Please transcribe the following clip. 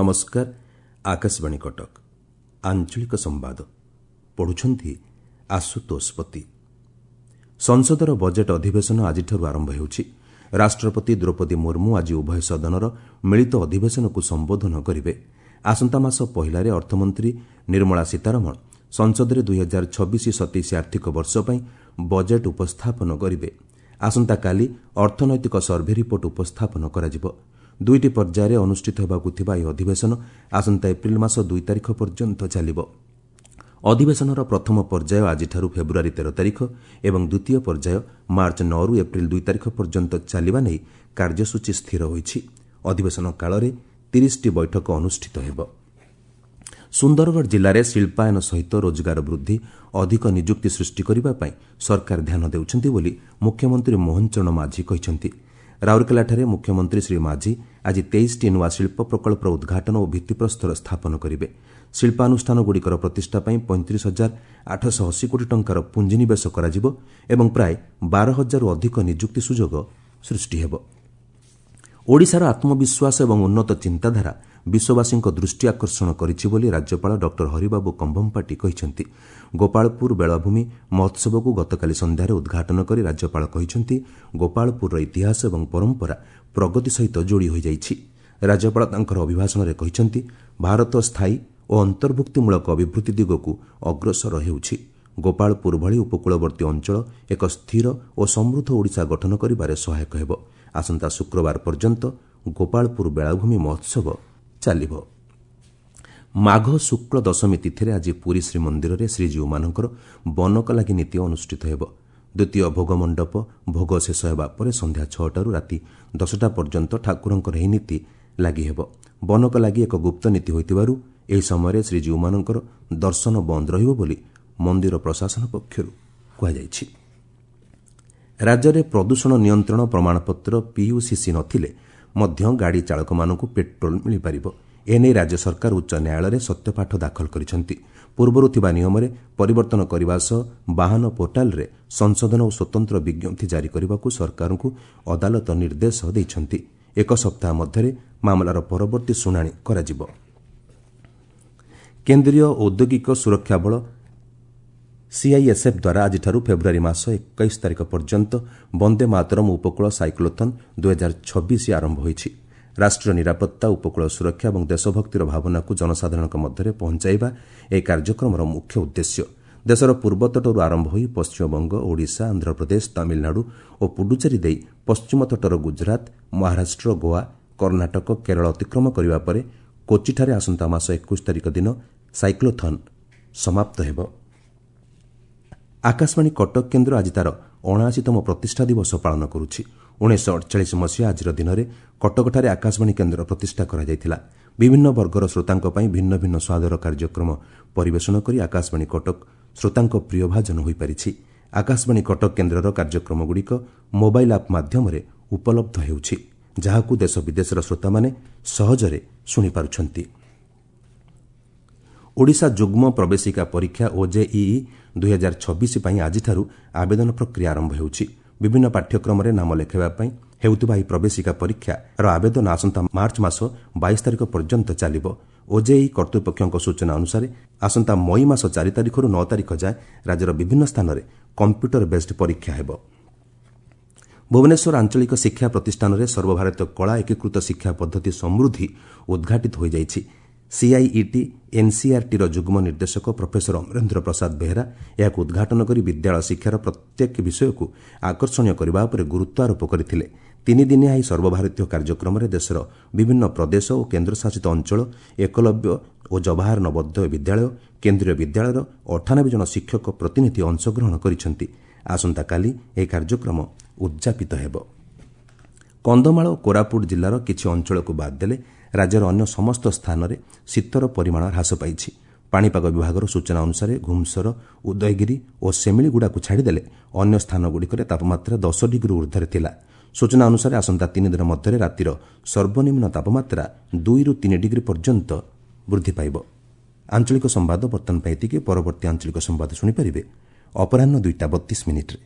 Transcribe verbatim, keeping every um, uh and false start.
ନମସ୍କାର ଆକାଶବାଣୀ କଟକ ଆଞ୍ଚଳିକ ସମ୍ବାଦ ପଢୁଛନ୍ତି ଆଶୁତୋଷ ପତି ସଂସଦର ବଜେଟ୍ ଅଧିବେଶନ ଆଜିଠାରୁ ଆରମ୍ଭ ହେଉଛି ରାଷ୍ଟ୍ରପତି ଦ୍ରୌପଦୀ ମୁର୍ମୁ ଆଜି ଉଭୟ ସଦନର ମିଳିତ ଅଧିବେଶନକୁ ସମ୍ବୋଧନ କରିବେ ଆସନ୍ତା ମାସ ପହିଲାରେ ଅର୍ଥମନ୍ତ୍ରୀ ନିର୍ମଳା ସୀତାରମଣ ସଂସଦରେ ଦୁଇ ହଜାର ଛବିଶ ସତେଇଶ ଆର୍ଥିକ ବର୍ଷ ପାଇଁ ବଜେଟ୍ ଉପସ୍ଥାପନ କରିବେ ଆସନ୍ତାକାଲି ଅର୍ଥନୈତିକ ସର୍ଭେ ରିପୋର୍ଟ ଉପସ୍ଥାପନ କରାଯିବ ଦୁଇଟି ପର୍ଯ୍ୟାୟରେ ଅନୁଷ୍ଠିତ ହେବାକୁ ଥିବା ଏହି ଅଧିବେଶନ ଆସନ୍ତା ଏପ୍ରିଲ ମାସ ଦୁଇ ତାରିଖ ପର୍ଯ୍ୟନ୍ତ ଚାଲିବ ଅଧିବେଶନର ପ୍ରଥମ ପର୍ଯ୍ୟାୟ ଆଜିଠାରୁ ଫେବୃଆରୀ ତେର ତାରିଖ ଏବଂ ଦ୍ୱିତୀୟ ପର୍ଯ୍ୟାୟ ମାର୍ଚ୍ଚ ନଅରୁ ଏପ୍ରିଲ ଦୁଇ ତାରିଖ ପର୍ଯ୍ୟନ୍ତ ଚାଲିବା ନେଇ କାର୍ଯ୍ୟସୂଚୀ ସ୍ଥିର ହୋଇଛି ଅଧିବେଶନ କାଳରେ ତିରିଶଟି ବୈଠକ ଅନୁଷ୍ଠିତ ହେବ ସୁନ୍ଦରଗଡ଼ ଜିଲ୍ଲାରେ ଶିଳ୍ପାୟନ ସହିତ ରୋଜଗାର ବୃଦ୍ଧି ଅଧିକ ନିଯୁକ୍ତି ସୃଷ୍ଟି କରିବା ପାଇଁ ସରକାର ଧ୍ୟାନ ଦେଉଛନ୍ତି ବୋଲି ମୁଖ୍ୟମନ୍ତ୍ରୀ ମୋହନ ଚରଣ ମାଝୀ କହିଛନ୍ତି ରାଉରକେଲାଠାରେ ମୁଖ୍ୟମନ୍ତ୍ରୀ ଶ୍ରୀ ମାଝୀ ଆଜି ତେଇଶଟି ନୂଆ ଶିଳ୍ପ ପ୍ରକଳ୍ପର ଉଦ୍ଘାଟନ ଓ ଭିତ୍ତିପ୍ରସ୍ତର ସ୍ଥାପନ କରିବେ ଶିଳ୍ପାନୁଷ୍ଠାନଗୁଡ଼ିକର ପ୍ରତିଷ୍ଠା ପାଇଁ ପଇଁତିରିଶ ହଜାର ଆଠଶହ ଅଶୀ କୋଟି ଟଙ୍କାର ପୁଞ୍ଜିନିବେଶ କରାଯିବ ଏବଂ ପ୍ରାୟ ବାର ହଜାରରୁ ଅଧିକ ନିଯୁକ୍ତି ସୁଯୋଗ ସୃଷ୍ଟି ହେବ ଓଡ଼ିଶାର ଆତ୍ମବିଶ୍ୱାସ ଏବଂ ଉନ୍ନତ ଚିନ୍ତାଧାରା ବିଶ୍ୱବାସୀଙ୍କ ଦୃଷ୍ଟି ଆକର୍ଷଣ କରିଛି ବୋଲି ରାଜ୍ୟପାଳ ଡକ୍ଟର ହରିବାବୁ କମ୍ଭମପାଟି କହିଛନ୍ତି ଗୋପାଳପୁର ବେଳାଭୂମି ମହୋତ୍ସବକୁ ଗତକାଲି ସନ୍ଧ୍ୟାରେ ଉଦ୍ଘାଟନ କରି ରାଜ୍ୟପାଳ କହିଛନ୍ତି ଗୋପାଳପୁରର ଇତିହାସ ଏବଂ ପରମ୍ପରା ପ୍ରଗତି ସହିତ ଯୋଡ଼ି ହୋଇଯାଇଛି ରାଜ୍ୟପାଳ ତାଙ୍କର ଅଭିଭାଷଣରେ କହିଛନ୍ତି ଭାରତ ସ୍ଥାୟୀ ଓ ଅନ୍ତର୍ଭୁକ୍ତିମୂଳକ ଅଭିବୃଦ୍ଧି ଦିଗକୁ ଅଗ୍ରସର ହେଉଛି ଗୋପାଳପୁର ଭଳି ଉପକୂଳବର୍ତ୍ତୀ ଅଞ୍ଚଳ ଏକ ସ୍ଥିର ଓ ସମୃଦ୍ଧ ଓଡ଼ିଶା ଗଠନ କରିବାରେ ସହାୟକ ହେବ ଆସନ୍ତା ଶୁକ୍ରବାର ପର୍ଯ୍ୟନ୍ତ ଗୋପାଳପୁର ବେଳାଭୂମି ମହୋତ୍ସବ ଚାଲିବ ମାଘ ଶୁକ୍ଳ ଦଶମୀ ତିଥିରେ ଆଜି ପୁରୀ ଶ୍ରୀମନ୍ଦିରରେ ଶ୍ରୀଜୀଉମାନଙ୍କର ବନକଲାଗି ନୀତି ଅନୁଷ୍ଠିତ ହେବ ଦ୍ୱିତୀୟ ଭୋଗମଣ୍ଡପ ଭୋଗ ଶେଷ ହେବା ପରେ ସନ୍ଧ୍ୟା ଛଅଟାରୁ ରାତି ଦଶଟା ପର୍ଯ୍ୟନ୍ତ ଠାକୁରଙ୍କର ଏହି ନୀତି ଲାଗି ହେବ ବନକଲାଗି ଏକ ଗୁପ୍ତ ନୀତି ହୋଇଥିବାରୁ ଏହି ସମୟରେ ଶ୍ରୀଜୀଉମାନଙ୍କର ଦର୍ଶନ ବନ୍ଦ ରହିବ ବୋଲି ମନ୍ଦିର ପ୍ରଶାସନ ପକ୍ଷରୁ କୁହାଯାଇଛି ରାଜ୍ୟରେ ପ୍ରଦୂଷଣ ନିୟନ୍ତ୍ରଣ ପ୍ରମାଣପତ୍ର ପିୟୁସିସି ନଥିଲେ ମଧ୍ୟ ଗାଡ଼ି ଚାଳକମାନଙ୍କୁ ପେଟ୍ରୋଲ ମିଳିପାରିବ ଏନେଇ ରାଜ୍ୟ ସରକାର ଉଚ୍ଚ ନ୍ୟାୟାଳୟରେ ସତ୍ୟପାଠ ଦାଖଲ କରିଛନ୍ତି ପୂର୍ବରୁ ଥିବା ନିୟମରେ ପରିବର୍ତ୍ତନ କରିବା ସହ ବାହନ ପୋର୍ଟାଲରେ ସଂଶୋଧନ ଓ ସ୍ୱତନ୍ତ୍ର ବିଜ୍ଞପ୍ତି ଜାରି କରିବାକୁ ସରକାରଙ୍କୁ ଅଦାଲତ ନିର୍ଦ୍ଦେଶ ଦେଇଛନ୍ତି ଏକ ସପ୍ତାହ ମଧ୍ୟରେ ମାମଲାର ପରବର୍ତ୍ତୀ ଶୁଣାଣି କରାଯିବ କେନ୍ଦ୍ରୀୟ ଔଦ୍ୟୋଗିକ ସୁରକ୍ଷା ବଳ ସିଆଇଏସ୍ଏଫ୍ ଦ୍ୱାରା ଆଜିଠାରୁ ଫେବୃଆରୀ ମାସ ଏକୋଇଶ ତାରିଖ ପର୍ଯ୍ୟନ୍ତ ବନ୍ଦେ ମାତରମ୍ ଉପକୂଳ ସାଇକ୍ଲୋଥନ୍ ଦୁଇହଜାର ଛବିଶ ଆରମ୍ଭ ହୋଇଛି ରାଷ୍ଟ୍ରୀୟ ନିରାପତ୍ତା ଉପକୂଳ ସୁରକ୍ଷା ଏବଂ ଦେଶଭକ୍ତିର ଭାବନାକୁ ଜନସାଧାରଣଙ୍କ ମଧ୍ୟରେ ପହଞ୍ଚାଇବା ଏହି କାର୍ଯ୍ୟକ୍ରମର ମୁଖ୍ୟ ଉଦ୍ଦେଶ୍ୟ ଦେଶର ପୂର୍ବତଟରୁ ଆରମ୍ଭ ହୋଇ ପଶ୍ଚିମବଙ୍ଗ ଓଡ଼ିଶା ଆନ୍ଧ୍ରପ୍ରଦେଶ ତାମିଲନାଡୁ ଓ ପୁଡୁଚେରୀ ଦେଇ ପଶ୍ଚିମ ତଟର ଗୁଜରାତ ମହାରାଷ୍ଟ୍ର ଗୋଆ କର୍ଣ୍ଣାଟକ କେରଳ ଅତିକ୍ରମ କରିବା ପରେ କୋଚିଠାରେ ଆସନ୍ତା ମାସ ଏକୋଇଶ ତାରିଖ ଦିନ ସାଇକ୍ଲୋଥନ୍ ସମାପ୍ତ ହେବ ଆକାଶବାଣୀ କଟକ କେନ୍ଦ୍ର ଆଜି ତା'ର ଅଣାଅଶୀତମ ପ୍ରତିଷ୍ଠା ଦିବସ ପାଳନ କରୁଛି ଉଣେଇଶହ ଅଡ଼ଚାଳିଶ ମସିହା ଆଜିର ଦିନରେ କଟକଠାରେ ଆକାଶବାଣୀ କେନ୍ଦ୍ର ପ୍ରତିଷ୍ଠା କରାଯାଇଥିଲା ବିଭିନ୍ନ ବର୍ଗର ଶ୍ରୋତାଙ୍କ ପାଇଁ ଭିନ୍ନ ଭିନ୍ନ ସ୍ୱାଦର କାର୍ଯ୍ୟକ୍ରମ ପରିବେଷଣ କରି ଆକାଶବାଣୀ କଟକ ଶ୍ରୋତାଙ୍କ ପ୍ରିୟଭାଜନ ହୋଇପାରିଛି ଆକାଶବାଣୀ କଟକ କେନ୍ଦ୍ରର କାର୍ଯ୍ୟକ୍ରମଗୁଡ଼ିକ ମୋବାଇଲ୍ ଆପ୍ ମାଧ୍ୟମରେ ଉପଲବ୍ଧ ହେଉଛି ଯାହାକୁ ଦେଶ ବିଦେଶର ଶ୍ରୋତାମାନେ ସହଜରେ ଶୁଣିପାରୁଛନ୍ତି ଓଡ଼ିଶା ଯୁଗ୍ମ ପ୍ରବେଶିକା ପରୀକ୍ଷା ଓଜେଇଇ ଦୁଇହଜାର ଛବିଶ ପାଇଁ ଆଜିଠାରୁ ଆବେଦନ ପ୍ରକ୍ରିୟା ଆରମ୍ଭ ହେଉଛି ବିଭିନ୍ନ ପାଠ୍ୟକ୍ରମରେ ନାମ ଲେଖାଇବା ପାଇଁ ହେଉଥିବା ଏହି ପ୍ରବେଶିକା ପରୀକ୍ଷାର ଆବେଦନ ଆସନ୍ତା ମାର୍ଚ୍ଚ ମାସ ବାଇଶ ତାରିଖ ପର୍ଯ୍ୟନ୍ତ ଚାଲିବ ଓଜେଇଇ କର୍ତ୍ତୃପକ୍ଷଙ୍କ ସୂଚନା ଅନୁସାରେ ଆସନ୍ତା ମଇ ମାସ ଚାରି ତାରିଖରୁ ନଅ ତାରିଖ ଯାଏଁ ରାଜ୍ୟର ବିଭିନ୍ନ ସ୍ଥାନରେ କମ୍ପ୍ୟୁଟର ବେସ୍ଡ ପରୀକ୍ଷା ହେବ ଭୁବନେଶ୍ୱର ଆଞ୍ଚଳିକ ଶିକ୍ଷା ପ୍ରତିଷ୍ଠାନରେ ସର୍ବଭାରତୀୟ କଳା ଏକୀକୃତ ଶିକ୍ଷା ପଦ୍ଧତି ସମୃଦ୍ଧି ଉଦ୍ଘାଟିତ ହୋଇଯାଇଛି ସିଆଇଇଟି ଏନ୍ସିଇଆର୍ଟିର ଯୁଗ୍ମ ନିର୍ଦ୍ଦେଶକ ପ୍ରଫେସର ଅମରେନ୍ଦ୍ର ପ୍ରସାଦ ବେହେରା ଏହାକୁ ଉଦ୍ଘାଟନ କରି ବିଦ୍ୟାଳୟ ଶିକ୍ଷାର ପ୍ରତ୍ୟେକ ବିଷୟକୁ ଆକର୍ଷଣୀୟ କରିବା ଉପରେ ଗୁରୁତ୍ୱ ଆରୋପ କରିଥିଲେ ତିନିଦିନିଆ ଏହି ସର୍ବଭାରତୀୟ କାର୍ଯ୍ୟକ୍ରମରେ ଦେଶର ବିଭିନ୍ନ ପ୍ରଦେଶ ଓ କେନ୍ଦ୍ରଶାସିତ ଅଞ୍ଚଳ ଏକଲବ୍ୟ ଓ ଜବାହର ନବୋଦୟ ବିଦ୍ୟାଳୟ କେନ୍ଦ୍ରୀୟ ବିଦ୍ୟାଳୟର ଅଠାନବେ ଜଣ ଶିକ୍ଷକ ପ୍ରତିନିଧି ଅଂଶଗ୍ରହଣ କରିଛନ୍ତି ଆସନ୍ତାକାଲି ଏହି କାର୍ଯ୍ୟକ୍ରମ ଉଦ୍ଯାପିତ ହେବ କନ୍ଧମାଳ ଓ କୋରାପୁଟ ଜିଲ୍ଲାର କିଛି ଅଞ୍ଚଳକୁ ବାଦ୍ ଦେଲେ ରାଜ୍ୟର ଅନ୍ୟ ସମସ୍ତ ସ୍ଥାନରେ ଶୀତର ପରିମାଣ ହ୍ରାସ ପାଇଛି ପାଣିପାଗ ବିଭାଗର ସୂଚନା ଅନୁସାରେ ଘୁମସର ଉଦୟଗିରି ଓ ସେମିଳିଗୁଡ଼ାକୁ ଛାଡ଼ିଦେଲେ ଅନ୍ୟ ସ୍ଥାନଗୁଡ଼ିକରେ ତାପମାତ୍ରା ଦଶ ଡିଗ୍ରୀ ଉର୍ଦ୍ଧ୍ୱରେ ଥିଲା ସୂଚନା ଅନୁସାରେ ଆସନ୍ତା ତିନି ଦିନ ମଧ୍ୟରେ ରାତିର ସର୍ବନିମ୍ନ ତାପମାତ୍ରା ଦୁଇରୁ ତିନି ଡିଗ୍ରୀ ପର୍ଯ୍ୟନ୍ତ ବୃଦ୍ଧି ପାଇବ ଆଞ୍ଚଳିକ ସମ୍ବାଦ ବର୍ତ୍ତମାନ ପାଇଁ ଏତିକି ପରବର୍ତ୍ତୀ ଆଞ୍ଚଳିକ ସମ୍ବାଦ ଶୁଣିପାରିବେ ଅପରାହ୍ନ ଦୁଇଟା ବତିଶ ମିନିଟ୍ରେ